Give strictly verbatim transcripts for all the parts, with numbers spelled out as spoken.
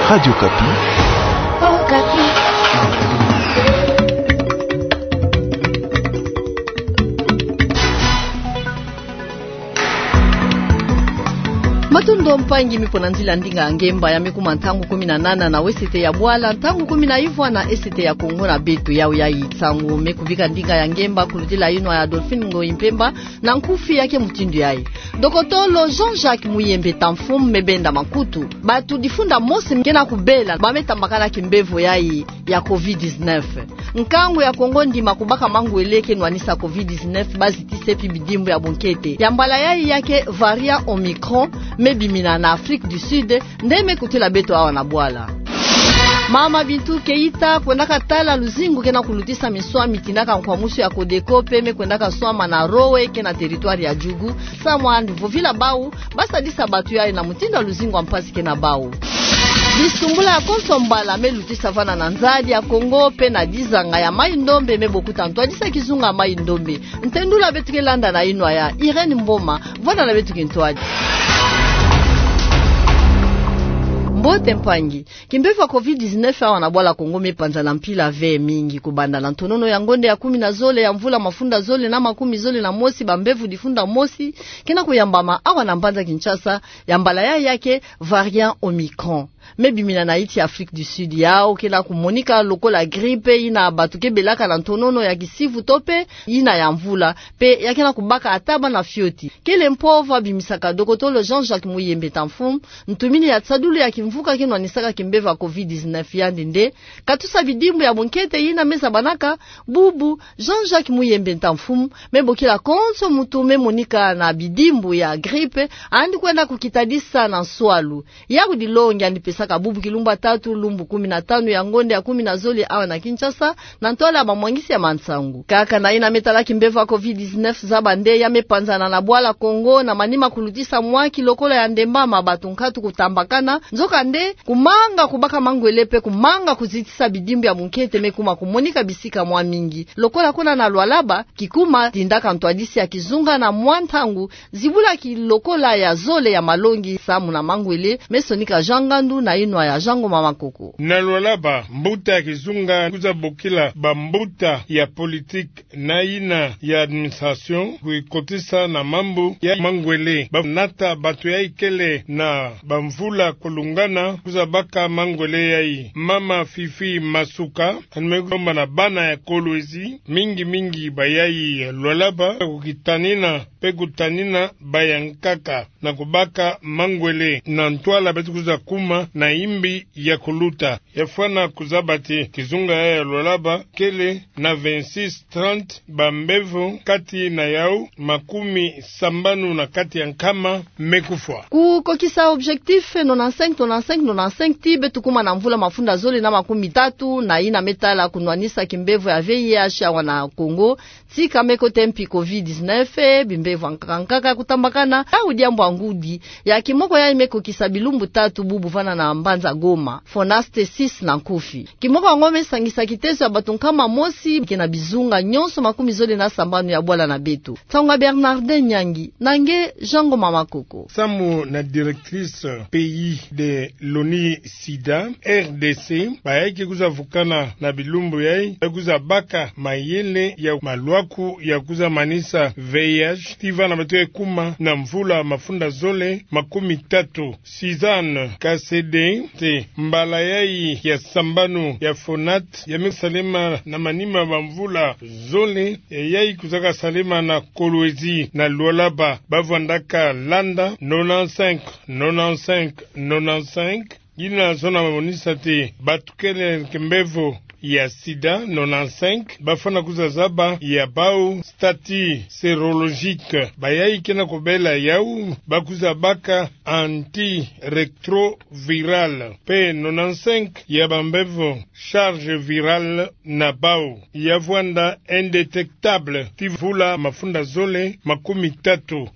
Radio Okapi. Okapi. Matondo mpangi, mi pona nzila ndinga ya ngemba, ya me kuma ntangu kumi na nana na wesete ya bwala, ntangu kumi na ivwa na esete ya Kongo na beto. Yau yayi ntangu me kubika ndinga ya ngemba, kulutila inwa ya Adolphine Ngoyi Mpemba, na nkufi yake mutindu yayi. Dokotolo Jean-Jacques Muyembe Tamfum me benda makutu. Bato difunda mosi ke na kubela ba me tambakana kimbevo yayi ya covid dix-neuf. Nkangu ya Kongo ndima kubaka mangwele ke nwanisa covid dix-neuf, bazitisa mpi bidimbu ya bunkete. Ya mbala yayi yake variant Omicron me bimina na Afrique du Sud, nde me kutila beto awa na bwala. Mama Bintou Keita kwendaka tala luzingu ke na kulutisa miswami, tindaka nkwamusu ya Codeco, mpe me kwendaka swama na Rowe ke na territoire ya Djougou. Samu andi vovila bau, ba sadisa bato yayi na mutindu ya luzingu ya mpasi ke na bau. Bisumbula ya konso mbala me lutisa vana na nzadi ya Kongo mpe na dizanga ya Maï-Ndombe, me bokuta ntwadisi ya kizunga Maï-Ndombe. Ntendula beto ke landa na inwa ya Irène Mboma, vwanda na beto kintwadi. Mbote mpangi. Kimbevo ya covid dix-neuf awa na bwala Kongo me panzana mpila ve mingi, kubanda na ntonono ya ngonde ya kumi na zole ya mvula mafunda zole na makumi zole na mosi, bambevo difunda mosi ke na kuyambama awa na mbanza Kinshasa, ya mbala yayi yake variant Omicron. Me bimina na yiti Afrique du Sud, yau ke na kumonika lokola grippe yina bato ke belaka na ntonono ya kisivu to mpe yina ya mvula, mpe ya ke na kubaka ata bana fioti. Kele mpova bimisaka dokotolo Jean-Jacques Muyembe Tamfum, ntumini ya tisadulu ya kimvuka ke nwanisaka kimbevo ya covid dix-neuf, yandi nde katusa bidimbu ya bunkete yina me zabanaka bubu. Jean-Jacques Muyembe Tamfum me bokila konso muntu me monika na bidimbu ya grippe, andi kwenda kukitadisa na nswalu. Yau dilongi andi pesaka bubu kilumbu ya tatu, lumbu kumi na tanu ya ngonde ya kumi na zole awa na Kinshasa, na ntwala ya bamwangisi ya mansangu. Kaka na yina me tala kimbevo ya covid dix-neuf, zaba nde ya me panzana na bwala Kongo na manima kulutisa mwaki lokola ya ndemba ma bato nkatu kutambakana. Nzokande, kumanga kubaka mangwele mpe kumanga kuzitisa bidimbu ya bunkete me kuma kumonika bisika mwa mingi. Lokola kuna na Lualaba, kikuma tindaka ntwadisi ya kizunga na mwa ntangu, zibula kilokola ya zole ya malongi samu na mangwele me sonika Jean Ngandu na inwa ya Jean Ngoma Makoko. Na Lualaba, mbuta ya kizunga kwiza bokila bambuta ya politique na yina ya administration kukotisa na mambu ya mangwele. Banata bato yayi kele na bamvula kulungana kwiza baka mangwele yayi. Mama Fifi Masuka, andi me lomba na bana ya Kolwezi, mingi mingi bayayi ya Lualaba, kukitanina mpe kutanina bayankaka na kubaka mangwele na ntwala beto kwiza kuma na imbi ya kuluta. Ya fwana kuzaba ti kizunga yayi ya Lualaba kele na vingt-six, trente bambevo, kati na yau makumi sambanu na kati ya nkama me kufwa. Kukokisa objectif nonante-cinq, nonante-cinq, nonante-cinq, ti beto kuma na mvula mafunda zole na makumi tatu na yina me tala kunwanisa kimbevo ya V I H awa na Kongo, tika me kota mpi covid dix-neuf, bimbevo ya nkaka nkaka kutambakana. Yau diambu ya ngudi ya kimoko yayi me kokisa bilumbu tatu bubu vana na mbanza Goma, Fonaste six na nkufi. Kimoko yango me sangisa kitezo ya bato nkama mosi ke na bizunga nyonso makumi zole na sambanu ya bwala na beto. Nsangu ya Bernardin Nyangi, na nge Jean Ngoma Makoko. Samu na directrice pays de l'ONU SIDA, R D C, bayayi ke kwiza vukana na bilumbu yayi, ba kwiza baka mayele ya malwaku ya kwiza manisa V I H, ti vana beto ke kuma na mvula mafunda zole makumi tatu. Suzanne Kasede ti mbala yayi ya sambanu ya Fonat ya me salema na manima bamvula zole, yayi kwizaka salema na Kolwezi na Lualaba, ba vwandaka landa nonante-cinq, nonante-cinq, nonante-cinq. Yina zona monisa ti bato kele kimbevo ya sida, nonante-cinq, ba fwana kwiza zaba ya bau statut sérologique. Bayayi ke na kubela yau, ba kwiza baka antirétroviral. Mpe nonante-cinq ya bambevo charge virale na bau ya vwanda indétectable ti mvula mafunda zole makumi tatu.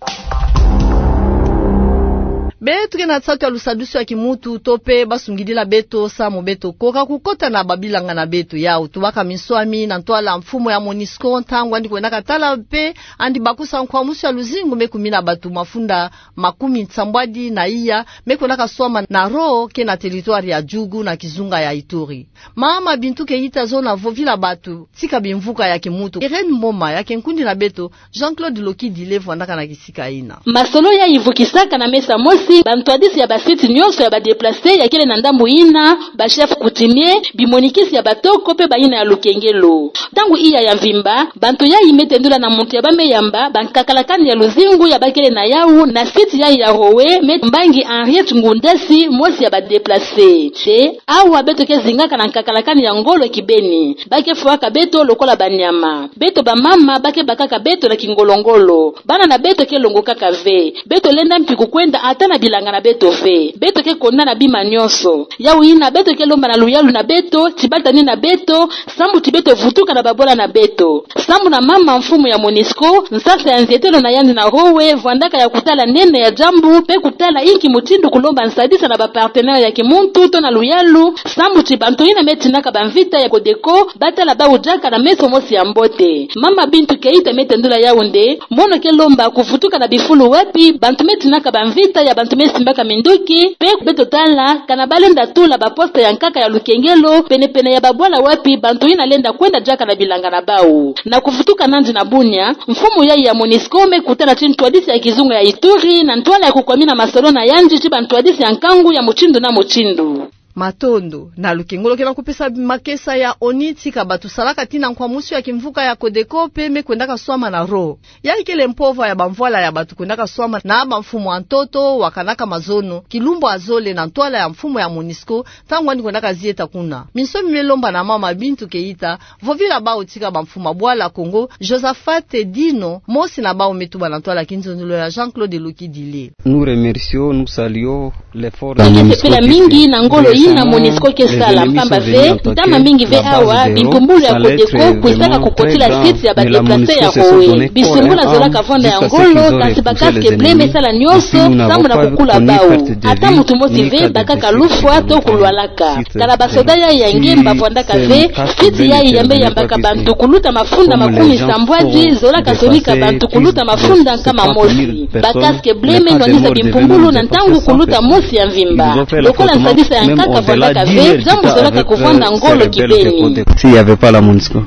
Beto ke na nsatu ya lusadusu ya kimuntu to pe basungidila beto samu beto koka kukota na babilanga na beto. Yau tubaka minswami na ntwala mfumu ya MONUSCO ntangu yandi kwendaka tala pe yandi bakusa nkwamusu ya luzingu me kumina bato mafunda makumi nsambwadi na iya me kwendaka swama na ro ke na territoire ya Djugu na kizunga ya Ituri. Mama Bintou Keita zona vovila bato tika bimvuka ya kimuntu. Irène Mboma ya ke nkundi na beto, Jean-Claude Lokidile vwandaka na kisika ina. Masolo yayi vukisaka na mesa mosi bantwadisi ya ba sites nyonso ya ba déplacés ya kele na ndambu ina, ba chefs coutumiers, bimonikisi ya batoko pe bayina ya lukengelo. Ntangu iya ya mvimba, bantu yayi me tendula na muntu ya ba me yamba bankakalakani ya luzingu ya ba kele na yau na site yayi ya Hohoe, Me Mbangi Henriette Ngundasi, mosi ya ba déplacés. Te, awa beto ke zingaka na nkakalakani ya ngolo kibeni. Ba ke fwaka beto lokola banyama. Beto bamama ba ke bakaka beto na kingolo-ngolo. Bana na beto ke longokaka ve. Beto lenda mpi kukwenda ata na bilanga na beto ve. Beto ke konda na bima nyonso. Yau yina beto ke lomba na luyalu na beto, ti ba tanina beto, sambu ti beto vutuka na babwala na beto. Sambu na mama mfumu ya MONUSCO, nsasa ya nzietelo na yandi na Hohoe vwandaka ya kutala nene ya diambu, pe kutala inki mutindu kulomba nsadisa na ba partenaires ya kimuntu to na luyalu, sambu ti bantu yina me tinaka bamvita ya CODECO ba tala bau diaka na meso mosi ya mbote. Mama Bintou Keita me tendula yau nde, mono ke lomba kuvutuka na bifulu wapi bantu me tinaka bamvita ya bantu me simbaka minduki, pe beto tala kana ba lenda tula ba postes ya nkaka ya lukengelo pene-pene ya babwala wapi bantu yina lenda kwenda diaka na bilanga na bau. Na kuvutuka nandi na Bunia, mfumu yayi ya MONUSCO me kutana ti ntwadisi ya kizunga ya Ituri na ntwala ya kukwamina masolo na yandi ti bantwadisi ya nkangu ya mutindu na mutindu. Matondo. Na lukengolo ke na kupesa makesa ya ONU tika bato salaka tina nkwamusu ya kimvuka ya CODECO pe me kwendaka swama na ro. Yayi kele mpova ya bamvwala ya bato kwendaka swama na bamfumu ya ntoto, wakanaka mazono, kilumbu ya zole na ntwala ya mfumu ya MONUSCO, ntangu yandi kwendaka zieta kuna. Minswami me lomba na mama Bintou Keita vovila bau tika bamfumu ya bwala Kongo, Josaphat Dino, mosi na bau me tuba na ntwala ya kinzonzolo ya Jean-Claude Lokidile. Nous remercions, nous saluons l'effort de la MONUSCO. Toke sepela mingi na ngolo yina MONUSCO ke sala, mpamba ve ntama mingi ve awa bimpumbulu ya CODECO kwisaka kukotila site ya ba déplacés ya Hohoe. Bisumbula zolaka vwanda ya ngolo, kasi ba casques bleus me sala nyonso sambu na kukula bau. Ata muntu mosi ve bakaka lufwa to kulwalaka. Kana basoda yayi ya nge mba vwandaka ve, site yayi ya me yambaka bantu kuluta mafunda makumi sambwadi, zolaka sonika bantu kuluta mafunda nkama mosi. Ba casques bleus me nwanisa bimpumbulu na ntangu kuluta mosi ya mvimba. Lokola nsadisa ya nkaka vwandaka ve, diambu zolaka kuvwanda ngolo kibeni. S'il y avait pas la MONUSCO.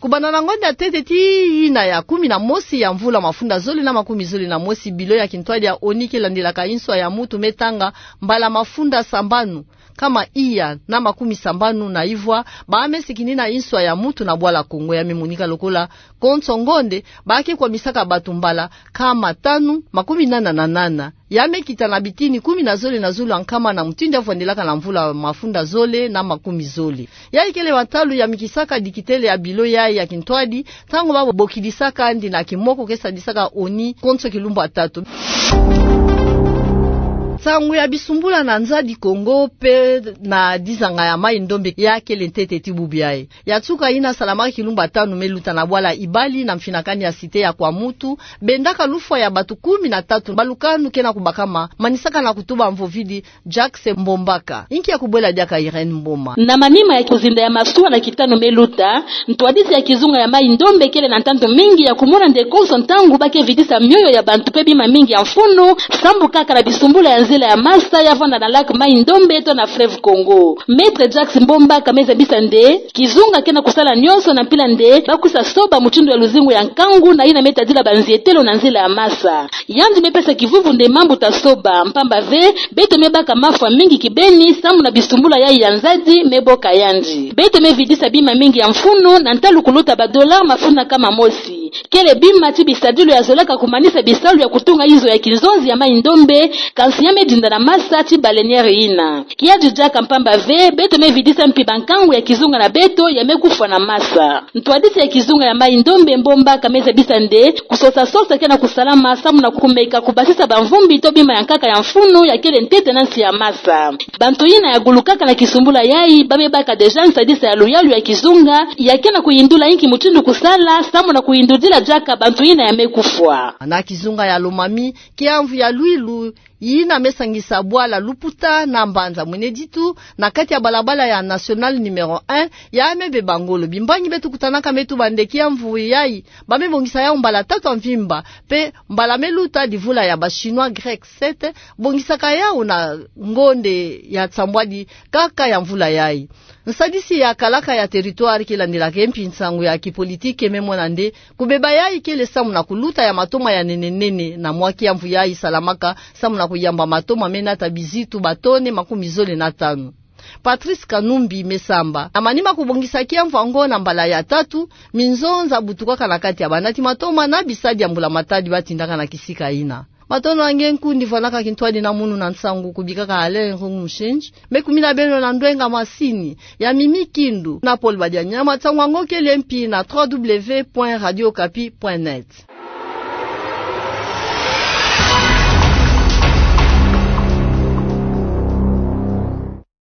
Kubanda na ngonda ya ntete tii yina ya kumi na mosi ya mvula mafunda zole na makumi zole na mosi, bilo ya kintwadi ya ONU ke landilaka inswa ya muntu me tanga mbala mafunda sambanu, nkama iya na makumi sambanu na ivwa, ba me sikinina inswa ya muntu na bwala Kongo. Ya me monika lokola konso ngonde, ba ke kwamisaka bato mbala nkama tanu makumi nana na nana. Ya me kita na bitini kumi na zole na zulu ya nkama na mutindu ya vwandelaka na mvula mafunda zole na makumi zole. Yayi kele matalu ya mikisaka dikitele ya bilo yayi ya kintwadi, ntangu ba bokidisaka yandi na kimoko ke sadisaka ONU konso kilumbu ya tatu. Nsangu ya bisumbula na Nzadi Kongo pe na dizanga ya Mai-Ndombe ya kele ntete ti bubu yayi. Ya nsuka yina salamaka kilumbu ya tanu me luta na bwala Ibali na mfinakani ya cité ya Kwamutu, bendaka lufwa ya bato kumi na tatu. Balukanu ke na kubakama, manisaka na kutuba mvovidi Jacques Mbombaka. Inki ya kubwela diaka Irène Mboma. Na manima ya kuzinda ya masuwa na kitanu me luta, ntwadisi ya kizunga ya Mai-Ndombe kele na ntantu mingi ya kumona nde konso ntangu ba ke vidisa mioyo ya bantu pe bima mingi ya mfunu, sambu kaka na bisumbula ya nzila ya masa ya vanda na lac Mai-Ndombe to na fleuve Congo. Maître Jacques Mbombaka me zabisa nde kizunga ke na kusala nyonso na mpila nde ba kwisa soba mutindu ya luzingu ya nkangu na yina me tadila banzietelo na nzila ya masa. Yandi me pesa kivuvu nde mambu ta soba, mpamba ve beto me baka mafwa mingi kibeni sambu na bisumbula yayi ya nzadi me boka yandi. Beto me vidisa bima mingi ya mfunu, na ntalu kuluta ba dollars mafunda nkama mosi. Kele bima ti bisadilu ya zolaka kumanisa bisalu ya kutunga inzo ya kinzonzi ya Mai-Ndombe, kansi ya me dinda na masa ti baleinière yina. Kiadi diaka, mpamba ve beto me vidisa mpi bankangu ya kizunga na beto ya me kufwa na masa. Ntwadisi ya kizunga ya Mai-Ndombe Mbombaka me zabisa nde kusosa-sosa ke na kusalama sambu na kumeka kubasisa bamvumbi to bima ya nkaka ya mfunu ya kele ntete na nsi ya masa. Bantu yina ya gulukaka na kisumbula yayi ba me baka déjà nsadisa ya luyalu ya kizunga ya ke na kuyindula inki mutindu kusala sambu na kuyindudila diaka bantu yina ya me kufwa. Na kizunga ya Lomami, kiamvu ya Lwilu Yina me sangisa bwala Luputa na mbanza Mweneditu, na kati ya balabala ya nationale numéro un, ya me beba ngolo. Bimbangi beto kutanaka me tuba'ande kia mvu yayi, ba me bongisa yau mbala tatu ya mvimba, pe mbala me luta divula ya ba Chinois Grec sept, bongisaka yau na ngonde ya nsambwadi kaka ya mvula yayi. Nsadisi ya kalaka ya territoire ke landilaka mpi nsangu ya kipolitike me mona nde kubeba yayi kele samu na kuluta ya matoma ya nene nene na mwa kia mvu yayi salamaka, samu na kuyamba matoma me nata bizitu ba tone makumi zole na tanu. Patrice Kanumbi me samba na manima kubongisa kia mvu ango na mbala ya tatu, minzonza butukaka na kati ya banati matoma na bisadi ya mbula matadi batindaka na kisika yina. Matondo na nge nkundi, vwanaka kintwadi na munu na nsangu kubikaka Alain Ngungu Mushinji. Me kumina beno na ndwenga masini ya Mimi Kindu na Paul Badianyama. Nsangu ango kele mpi na trois W point radio okapi point net.